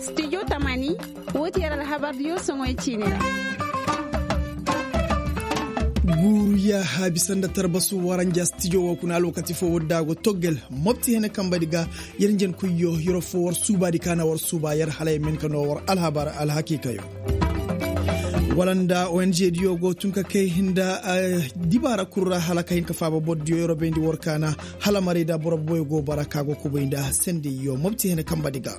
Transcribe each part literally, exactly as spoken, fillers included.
Studio tamani. Woo ti yer alhabardiyo soŋoy ciini ra. Guuru yaaha bisa nda tarbasu waranja stijo woo kuna alwakati foo woo da a go toggel mopti hene kambadi ga. Yer njenkoyyo yer foo war suubaadi ka na war suuba yer hala yer ma hin ka noo war alhabar alhakiikayo. Wala nda ong diyo go tun ka kay nda dibaara kul ra hala ka hin ka faaba bordiyo yer bayndi war kaana. Hala maray da boro boyo go bara ka go kubay nda sendayyo mopti hene kambadi ga.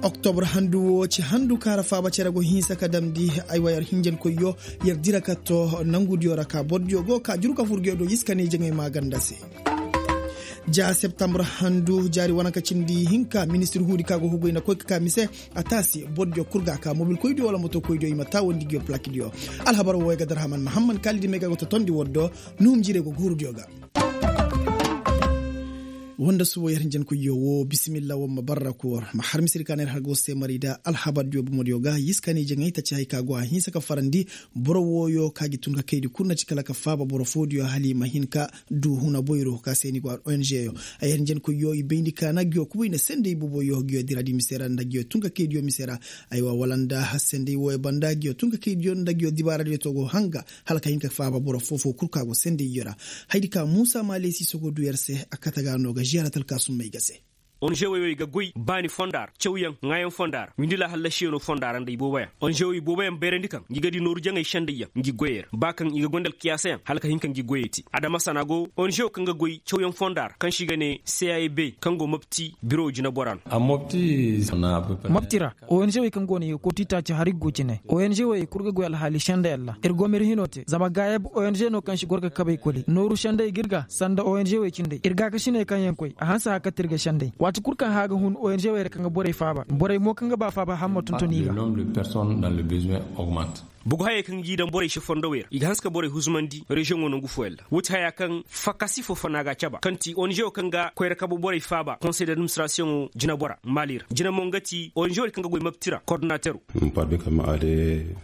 Oktobr handu woo ci handu kaŋ ra faaba cere go hinsa ka damndi. Aywa yer hinjankoyyo yer dira ka too nangudiyo ra ka bordiyo go ka juru ka fur nguyo do iska ne jaŋay maaganda se. Ja septambr handu jaari wane ka cindi hinka ministir huudi ka go hugay nda koy ka ka mise. A taasi bordiyo kul ga a ka mobilkoydiyo wala motokoydiyo i ma taawandi nguyo palakidiyo. Alhabar woo ay ga darhaman mahamman kaalidi may ga go totondi war do. Nuhum jiirey go guurudiyo ga. Woo nda subo yer hinjankoyyo woo bisimilla war ma barra koor ma har misiri ka na yer har go se maray da alhabardiyo bomodiyo ga yiskaani jaŋay taci hay ka go a hinsa ka farandi. Boro wooyo ka gi tun ka kaydi kul na ci kala ka faaba boro foodiyo hala i ma hin ka du huna boyro ka se ni go a ongeyo. Ay yer hinjankoyyo i bayndi ka na nguyo kubay nda senday boboyo nguyo diradi mise ra nda nguyo tun ka kaydiyo mise ra. Aywa wala nda senday wooyo banda nguyo tun ka kaydiyo nda nguyo dibaaradiyo to go hanga hala ka hin ka faaba boro foo-foo kul ka go sendayyo ra. Hayadi ka muusa maalesi sogo du yer se a kate ga no ga ziyaaratal ka summay ga se. Onžewey wey ga goy baani fonda ra cawyaŋ ŋaayaŋ fonda ra windila hallasiyaŋo fonda ra nda ibooboyaŋ onžewey ibooboyaŋ bayrandi kaŋ ngi ga di nooru jaŋay sendayyaŋ ngi goyey ra ba kaŋ i ga goy nda alkiyaasayaŋ hala ka hin ka ngi goyey te adama sana go onžewo kaŋ ga goy cawyaŋ fonda ra kaŋ se i ga ne cab kaŋ go mopti biro jineboraa no. Mopti ra onžewey kaŋ go no i ga kooti taaci hari ga go cine onžewey kul ga goy alhaali senday ra ir go ma ir hino te zama gaayab onže no kaŋ si goro ga kabay koli nooru senday ga ir ga sanda onžewey cindey ir gaakasiney kaŋ yaŋ koy a hanse haya kate ir ga senday waati kul kaŋ haya ga hun onžewey ra kaŋ ga borey faaba borey mo kaŋ ga ba faaba hamma tonton i ga. Bugu hayey kaŋ g'i daŋ borey se fondowey ra i ga hanse ka borey huzumandi reziyoŋo nangu fooyaŋ ra woo ti haya kaŋ fakasi foo fana g'a caba kaŋ ti onžewo kaŋ ga koyra kabu borey faaba konsey d'administirasiyoŋo jinebora maali ra jine mo nga ti onžewey kaŋ ga goy mapti ra kordinatero.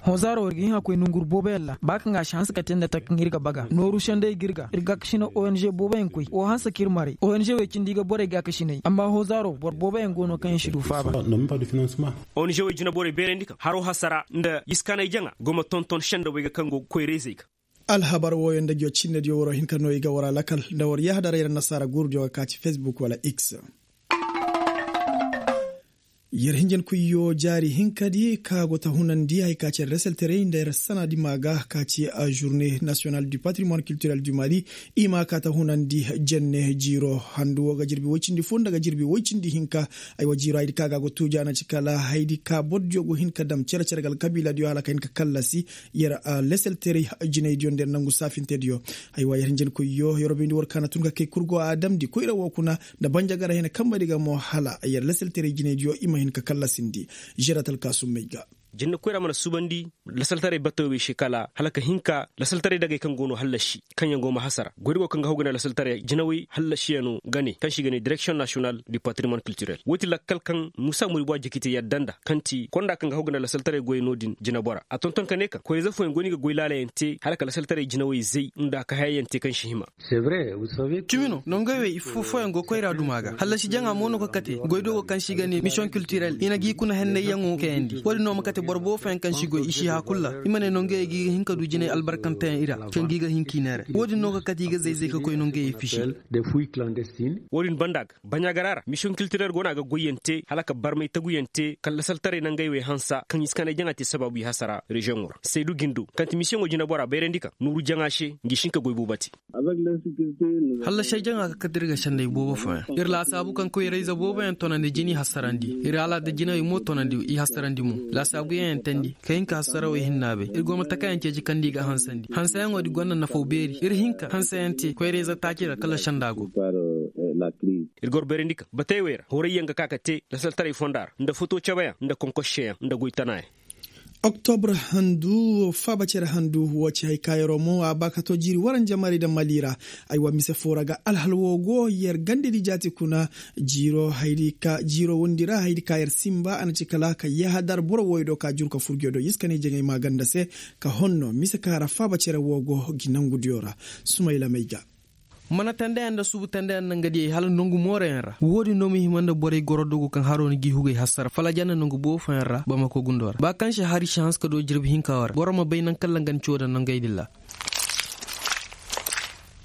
Honzaaro ir ga hin a koy nonguru booboyaŋ ra ba kaŋ a si hanse ka te nda taka kaŋ ir ga baga nooru senday ga ir ga ir gaakasina onže booboyaŋ koy woo hanse ka ir maray onžewey cindi ga borey gaakasiney amma honzaaro boro booboyaŋ go no kaŋ yaŋ si du faaba. Onžewey jineborey beerandi kaŋ haro hasara nda iskaanay jaŋa go ma tonton sendawey ga kaŋ go ga koyra-izey ga. Alhabar wooyo nda nguyo cinnediyo waroo hin ka noo i ga war a lakal nda war yahadaray ra nasaara guurudiyo ga ka ci fesbuk wala x. Yer hinjankoyyo jaari hinkadi ka go ta hunandi haya ka ci yer leselterey nda yer sanadi maa ga ka ci a žurne nasiyonal du patrimoine kiltirel du mali. I ma ka ta hunandi jenne jiiro handu woo ga jirbi woy cindi foo nda ga jirbi woy cindi hinka. Aywa jiiro hayadi ka ga a go tuuja na ci kala hayadi ka borodiyo go hin ka dam cere-cere ga alkabiiladiyo hala ka hin ka kallasi yer leselterey jinaydiyo nda yer nangu saafintediyo. Aywa yer hinjankoyyo yer woo bayndi war ka na tun ka kay kul go a damndi koyra woo kuna nda banjagara hina kambadi ga mo hala yer leselterey jinaydiyo i ma hin ka kallasindi. Žeratal ka summay ga. Jenne koyra mana suubandi lasaltaray batawey se kala hala ka hin ka lasaltaray dagey kaŋ go no hallasi kaŋ yaŋ go ma hasara goydi go kaŋ ga haw ga ne lasaltaray jinawey hallasiyano ga ne kaŋ se i ga ne direksiyoŋ nasiyonal du patrimoine kiltirel woo ti lakkal kaŋ muusa muribu a jiki te yadda nda kaŋ ti konda kaŋ ga haw ga ne lasaltaray goyey no-din jinebora a tonton ka ne kaŋ koyra-ize fooyaŋ go no i ga goy laalayaŋ te hala ka lasaltaray jinawey zay nda ka hayayaŋ te kaŋ si hima. Cimi no nongey wey ifo fooyaŋ go koyra duma ga hallasi jaŋa mo no ga kate goy dogo kaŋ se i ga ne misiyoŋ kiltirel i na g'i kuna hennayyaŋo kayandi wo-din no ma kate boro boobo fooyaŋ kaŋ si goy i si hã kul ra i ma ne nongey g'i ga hin ka du jinay albarkanteyaŋ i ra kaŋ g'i ga hin k'i neere wo-din no ga kate i ga zay-zay ka koy nongey fisi. Wo-din banda ga baɲaagara ra misiyoŋ kiltirel go no a ga goyyaŋ te hala ka barmay taguyaŋ te kala lasaltaray nangey wey hansa kaŋ iskaanay jaŋa te sabaabu i hasara reziyoŋo ra saydu gindo kaŋ ti misiyoŋo jinebora bayrandi kaŋ nuuru jaŋa se ngi si hin ka goy boobo te. Hallasey jaŋa ka kate ir ga senday boobo fooyaŋ ir laasaabu kaŋ koyra-ize booboyaŋ tonandi jina i hasarandi ir alaada jinawey mo tonandi i hasarandi mo laasaabuyaŋ yaŋ teendi ka hin ka hasarawey hinna bay ir go ma takayaŋ ceeci kaŋ nda i ga hansandi hanseyaŋo di gonda nafaw beeri ir hin ka hanseyaŋ te koyra-ize taaci ra kala senda go. Ir ga war bayrandi kaŋ batey wey ra horayyaŋ ga ka ka te lasaltaray fonda ra nda foto cabeyaŋ nda konkosiseyaŋ nda goy tanayaŋ. Oktobr handu faaba cere handu woo ci hay ka yeroo mo a ba ka too jiiri waranja maray nda mali ra. Aywa mise foo ra ga alhal woo go yer gandedi jaati kuna jiiro wondi ra hayadi ka yer sinba a na ci kala ka yahadar boro wooyo do ka juru ka fur nguyo do iska ne jaŋay maa ganda se ka honno mise ka ra faaba cere woo go gi nangudiyo ra. Sumayla may ga. Mana tandeyaŋ nda suubu tandeyaŋ nda nga diyey hala nongu moorayaŋ ra. Woodin no ma hima nda borey goro dogu kaŋ haroo na g'i hugay hassara falaja nda nongu boobo fooyaŋ ra bamako gundoo ra ba kaŋ se hari si hanse ka doo jirbi hinka wo ra boro ma bay naŋ kaŋ ra nga na coo daŋ nongey din ra.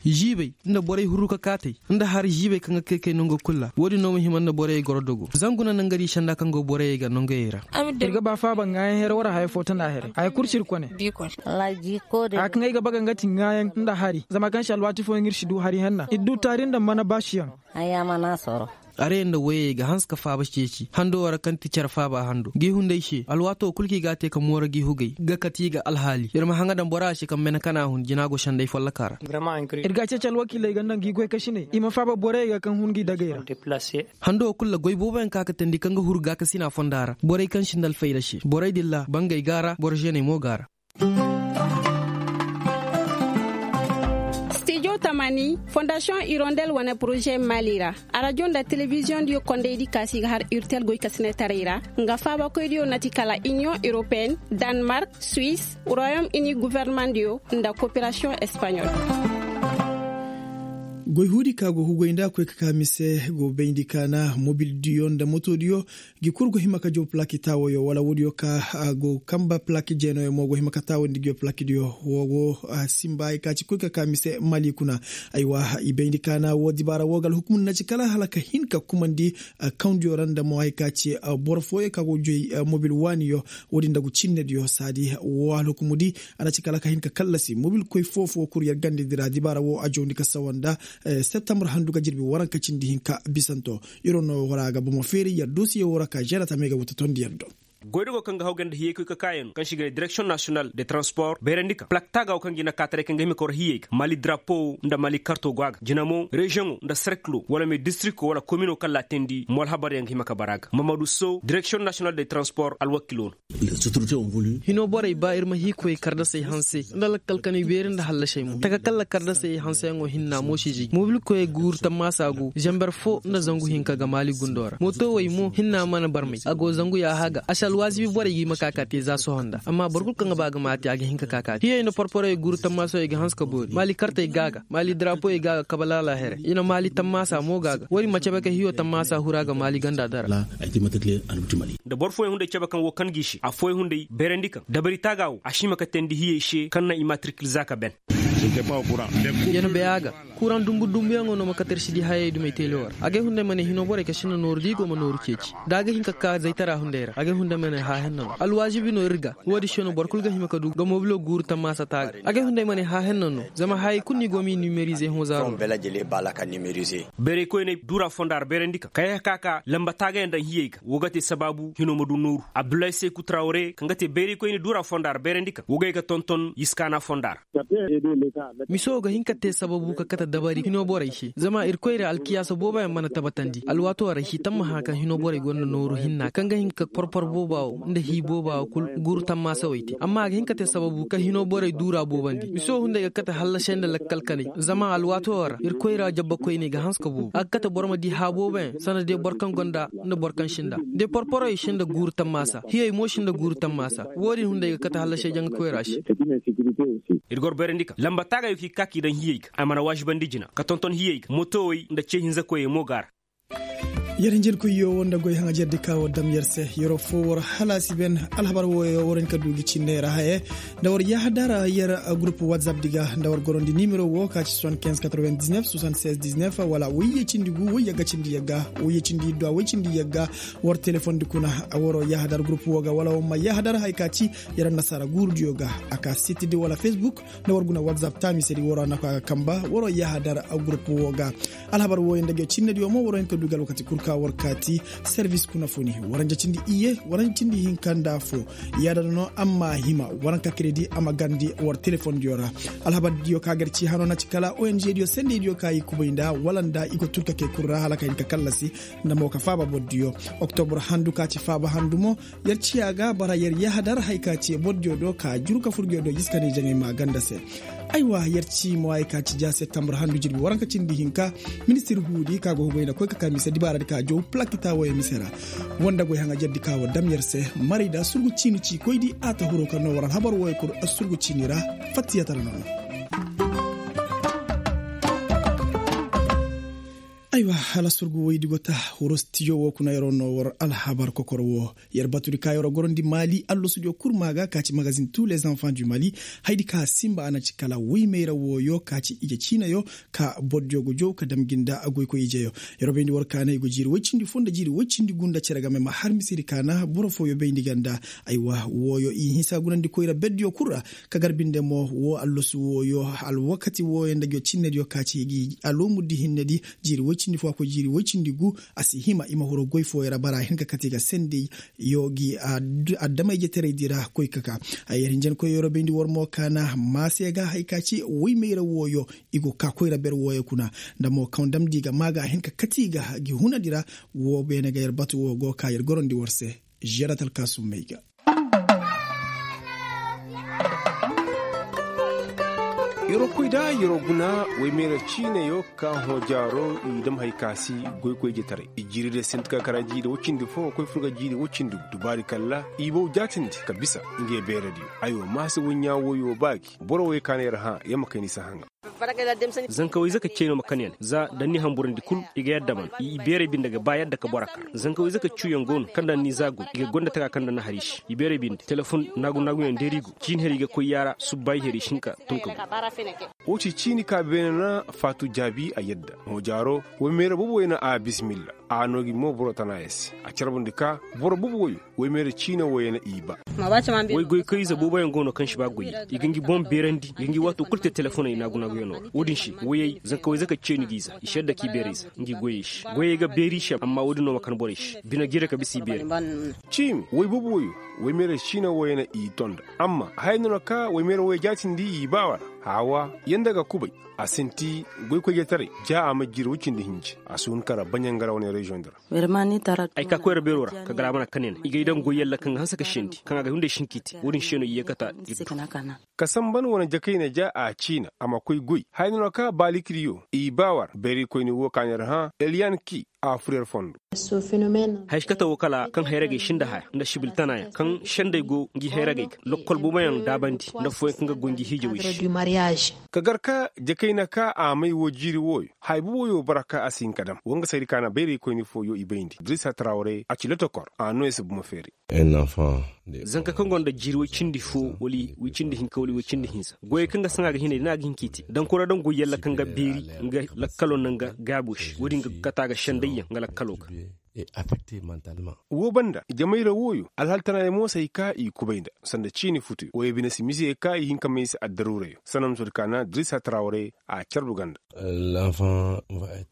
Ziibey nda borey huru ka kaatey nda hari ziibey kaŋ ga kay kay nongo kul ra woodin no ma hima nda borey goro dogo zangu na nangari senda kaŋ go borey ga nongey ra. Ir ga ba faaba ŋaayaŋ here wara haya fo tana here haya kul si ir kone. Haya kaŋ ay ga baga nga ti ŋaayaŋ nda hari zama kaŋ se alwaati fooyaŋ ir si du hari henna ir du taari nda mana baasiyaŋ. Arey nda woyey ga hanse ka faaba ceeci hando wara kaŋ ti cere faaba hando gi hunday se alwaatoo kul kaŋ i ga a te ka mooro gi hugay ga kate i ga alhaali ir ma haŋa daŋ bora se kaŋ mene kana hun jina go senday follokaa ra. Ir ga a ceeci alwakiiley ga nda ngi goykasiney i ma faaba borey ga kaŋ hun ngi dagey ra. Hando kul ra goy booboyaŋ ka ka teendi kaŋ ga huru gaakasina fonda ra borey kaŋ sinda alfayda se borey din ra bangey ga a ra boro zeeney mo ga a ra. Stijo tamani fondasiyoŋ irondel wane poroze mali ra arajo nda telebiziyoŋ diyo kondey di kaasi ga har irtel goy ka sine taray ra nga faabakoy diyo na ti kala iniyoŋ europeen, danmark, suis, royom ini guverneman diyo nda koperasiyoŋ espaɲol. Goy huudi ka go hugoy nda koy ka ka mise go bayndi kaana mobil diyo nda moto diyo. Gi kul go hima ka jaw plaki taawoyo wala woodiyo ka go kamba plaki jeenooyo mo go hima ka taawandi gi yo plaki diyo wo go simba ay ka ci koy ka ka mise mali kuna. Aywa i bayndi kaana wo dibaara wo ga alhukumur na ci kala hala ka hin ka kumandi kawndiyo ra nda mo ay ka ci boro fooyo ka go joy mobil waaniyo. Woodin nda gu cinnediyo saadi wo alhukumudi a na ci kala ka hin ka kallasi mobil koy foo-foo kul yer gandedi ra dibaara wo a jawndi ka sawa nda septambur handu ga jirbi waranka cindi hinka bisanto. Iro no wara ga bomo feeri yer dosiye wara ka žerata me ga wuta tondi yer do. Goydogo kaŋ ga hawgay nda hiyey koy ka kaayano kaŋ se i ga ne direksiyoŋ nasiyonal de transpor bayrandi ka plak taaga wo kaŋ ga i na kaataray kaŋ ga hima ka war hiyey ga mali darapo nda mali karto go a ga jina mo reziyoŋo nda serkilo wala me distrikto wala komino kaŋ laatindi mo alhabaryaŋ ga hima ka bara ga mamadu so direksiyoŋ nasiyonal de transpor alwakilo no. Hinoo borey ba ir ma hii koy kardasey hanse nda lakkal kanay beeri nda hallasey mo taka kalla kardasey hanseyaŋo hinna mo si jiji mobilkoyey guuru tammaasa go zamber foo nda zangu hinka ga maali gundoo ra mootowey mo hinna mana barmey a go zangu yaaha ga a si alwaazibi borey ga i ma ka ka te za sohõ nda amma boro kul kaŋ ga ba ga ma a te a ga hin ka ka ka te hiyey nda porporowey guuru tammaasawey ga hanse ka boori maali kartey ga a ga maali darapoyey ga a ga kabalaala here i na maali tammaasa mo ga a ga woodi ma cabe ka hiyo tammaasa huru a ga maali ganda dara. Nda boro fooyaŋ hunday cabe kaŋ woo kan g'i se affooyaŋ hunday bayrandi kaŋ dabari taaga woo a si hima ka teendi hiyey se kaŋ naŋ i maatirkil za ka ben. Yer na bay a ga kuraŋ dumbu dumbuyaŋo no ma kate ir si di hayey dumey teele woo ra agay hunday ma ne hinoo borey kaŋ sinda nooru da i go ma nooru ceeci da a ga hin ka ka zaytara hunday ra agay hunday ma ne haahenna no alwaazibi no ir ga. Woodi se no boro kul ga hima ka du ga moobilo guuru tammaasa taaga agay hunday ma ne haahenna no zama hayey kul no i go m'i nimerize hõ zaaro ra. Bayraykoyney duura fonda ra bayrandi kaŋ kay ka ka lamba taagayaŋ daŋ hiyey ga woo ga te sabaabu hinoo ma du nooru abdullahi seeku trawre kaŋ ga te bayraykoyney duura fonda ra bayrandi kaŋ woo ga ye ga tonton yiskaana fonda ra. Miso ga hin ka te sababu ka kate dabari hinoo borey se zama irkoy ra alkiyaasa booboyaŋ mana tabatandi alwaatoo ra si tammaha kaŋ hinoo borey gonda nooru hinna kaŋ ga hin ka porpor booba woo nda hii booba woo kul guuru tammaasawey te amma a ga hin ka te sababu kaŋ hinoo borey duura boobandi miso hunday ga kate hallasey nda lakkal kanay zama alwaatoo ra irkoy ra jabbakoyney ga hanse ka boobo a ga kate boro ma di haa booboyaŋ sanda day boro kaŋ gonda nda boro kaŋ sinda day porporowey sinda guuru tammaasa hiyey mo sinda guuru tammaasa. Woodin hunday ga kate hallasey janga koyra se. Ir goro bayrandi kaŋ lamba taagayoo kaŋ i ga ka k'i daŋ hiyey ga a mana waazibandi jina ka tonton hiyey ga mootowey nda ce hinzakoyey mo ga a ra. Yer hinjinkoyyo wo nda goy haŋajerdi ka war dam yer se yeroo foo war halaasi ben. Alhabar wooyo war hin ka du gi cinney ra haye nda war yaahadar yer gurup watsap di ga nda war gorondi nimero woo ka ci soixante-quinze quatre-vingt-dix-neuf soixante-seize dix-neuf wala woyye cindi gu woyye ga cindi yagga woyye cindi iddu a woy cindi yagga. War telefondi kuna waroo yaahadar gurup woo ga wala war ma yaahadar haya ka ci yer annasaara guurudiyo ga a ka sitidi wala facebook. Nda war guna watsap taamisedi waroo na ka ga kamba waroo yaahadar gurup woo ga. Alhabar wooyo nda nge cinnediyo mo waroo hin ka du gi alwakati kul ka war kaati servis kuna funi waranja cindi iyye waranja cindi hinka nda foo. Yaadana no amma hima waranka kredi a ma garandi war telefondiyo ra. Alhabardiyo ka gar ci hano na ci kala ong diyo sendeydiyo ka i kubay nda wala nda i go turkakey kul ra hala ka hin ka kallasi. Nda mo ka faaba bordiyo oktobur handu ka ci faaba handu mo. Yer ciya ga bara yer yahadar haya ka ci bordiyo do ka juru ka furgiyo do jiska ne jaŋay ma ganda se. Aywa yer ci mo haya ka ci ja septambur handu jirbi waranka cindi hinka. Ministir huudi ka go hugay nda koy ka ka mise dibaaradi ka jow plakita woyo mise ra. Woo nda goy haŋajerdi ka war dam yer se. Marayda surgu ciini ci koydi a ta huro kaŋ no war alhabar woyo kul surgu ciini ra. Fattiyatara noona. Aywa, hala surgu woydi go ta. Wuro stijo wo kuna yer'o no war alhabar kokor wo. Yer batudi ka yer'o gorondi mali allosudiyo kul ma ga ka ci magazin tous les enfants du mali. Haydi ka simba a na ci kala woymayra wooyo ka ci ije ciinayo, ka bordiyo go jow ka dam gi nda goykoy ijeyo. Yer'o bayndi war kaana i go jiiri woy cindi fo nda jiiri woy cindi gu nda cere game ma har misedi kaana boro fooyo bayndi ga nda. Aywa, wooyo i hinsa gunandi koyra berdiyo kul ra. Ka gar binde mo woo allosu wooyo, alwakati wooyo nda ngiyo cinnediyo ka ci gi alomuddi hinnedi. Jiiri woy cindi fo a koy jiiri woy cindi gu. A si hima i ma huru goy fooyo ra bara hin ka kate ga sendey. Yo gi adama-ijetaray di ra koy ka ka. Ay yer hinjankoy yer'o bayndi war mo kaana maase ga hay ka ci woymayra wooyo. I go ka koyra ber wooyo kuna. Nda mo kaŋ damndi ga maa ga a hin ka kate i ga gi hunandi ra. Woo beene ga yer batu woo go ka yer gorondi war se. Žerat alkaasummey ga. Yer'o koy da yer'o guna woymeera ciinayo ka hõ jaaro i dam hay ka si goykoy jetaray i jiiri day sinti ka kara jiiri woy cindi fo koy fur ga jiiri woy cindi gu dubaari kalla i bow jaatindi ka bisa. Ngey beeradiyo. Aywa maase woy ɲaa woyo ba gi boro woy ka na yer hã yer ma kay ni si haŋa. Zankawayze ka cey no ma kan ya ne za da ni hamburandi kul. I ga yadda man i beeray binde ga ba yadda ka boro kar. Zankawayze ka cuuyaŋ go no kaŋ da ni za goy i ga gonda taga kaŋ da na hari se i beeray binde telefon naagu naaguyaŋ deeri go ciini hari ga koy yaara subba i hari se hinka tun ka go. Wo ci ciini ka beene na faatu jaabi a yadda. Hõ jaaro woy meera boobo way na a bismilla. A noo gi mo boro tana ya se a carbundi ka boro boobo wayo. Woy meera ciina wayo na i ba. Woy goy kaŋ ize boobo yaŋ go no kaŋ si ba goy i ga ngi boŋ beerandi i ga ngi waato kul te telefoney naagu naaguyaŋo ra. Wo-din se woyey zanka woy zaka ceeni ga i za i si yadda ka i beerey za ngi goyey se goyey ga beeri i se amma wo-din no ma kan borey se bine jiire ka bisa i beerey. Ciimi woy boobo wayo woy meera ciina wayo na i tonda. Amma haya no na ka woy meera wayo jaatindi i baawa ra. Haawa yanda ga kubay. A sinti goykoyjetaray ja a ma jiri woy cindi hinji a si hun kara baɲangara wane reziyoŋ di ra. Ay ka koyra beero ra ka gar a mana kanena i gay daŋ goy yalla kaŋ ga hanse ka sendi kaŋ a ga hunday sinki te wo-din se no i ye kata. Ir du. Ka samban wane jakayna ja a ciina a ma koy goy haya no na ka baalikidiyo i baawa ra beeraykoyni wo ka na ir hã eliyan ki. A fur yer fondo. Haya si kate wo kala kaŋ hayragey sinda haya nda sibiltanayaŋ kaŋ sendey go ngi hayragey ga lokkol booboyaŋ daabandi nda fooyaŋ kaŋ ga goy ngi hiijawey se. Ka gar ka jakayna ka a may woo jiiri wooyo haya booboyo boro ka a si hin ka dam wo nga saydi ka na bayraykoyni fooyo i bayndi dirisa tarawre a ci lotokor a no i si buma feeri. Zanka kaŋ gonda jiiri woy cindi foo wala woy cindi hinka wala woy cindi hinza goyey kaŋ ga saŋa ga hinay da na ga hin ka i te dankura daŋ goy yalla kaŋ ga beeri nga lakkalo nda nga gaabo se wo-din ga kata ga sendayyaŋ nga lakkalo ga. Woo banda jamayra wooyo alhaltanayaŋ mo si hay ka i kubay nda sanda ciini futuyo wooyo bine si mise ka i hin ka may se addaruurayo sanam sodi ka na dirisa tarawre. A carbu ganda.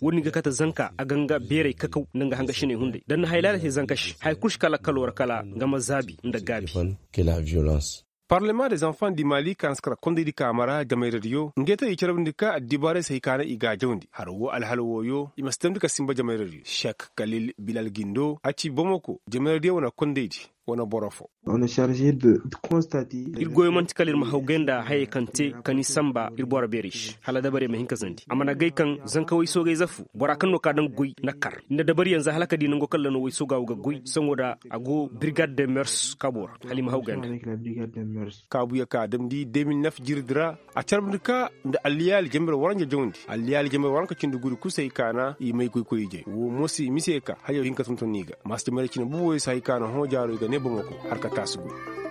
Wo-din ga kate zanka a ga nga beeray kakaw nda nga hangasiney hunday da ni na hay laala te zanka se haya kul si ka lakkalo ra kala nga ma zaabi nda gaabi. Parlement des enfants du mali ka na si kara kondaydi ka mara jamayradiyo ngey te i carabndi ka addibaaray si hay ka na i ga a jawndi har woo alhala wooyo i ma si damndi ka sinba jamayradiyo sek kalil bilal gindo a ci bomoko jamayradiyo wane kondaydi. Wane boro fo. Ir goyo man'ti kala ir ma hawgay nda hayey kaŋ te ka ni sanba ir boro beerey se hala dabarey ma hin ka zandi a mana gay kaŋ zanka way soogayze fu bora kaŋ no ka daŋ goy na kar nda dabariyaŋ za hala ka di nango kaŋ ra no way sooga wo ga goy saŋo da a go birgad de mers kaabo ra hala i ma hawgay nda. Kaabuyaŋ kaŋ a damndi de mil nef jirdi ra a carbundi ka nda alliyaali jamir waranja jawndi alliyaali jamir waranka cindi guri kusay kaana i may koy koy ijey wo mo si mise ka hayo hinka tonton i ga maasi jamir cine buboyo si hay kaana hõ jaaro i ga ne bomo ko har ka taasi guri.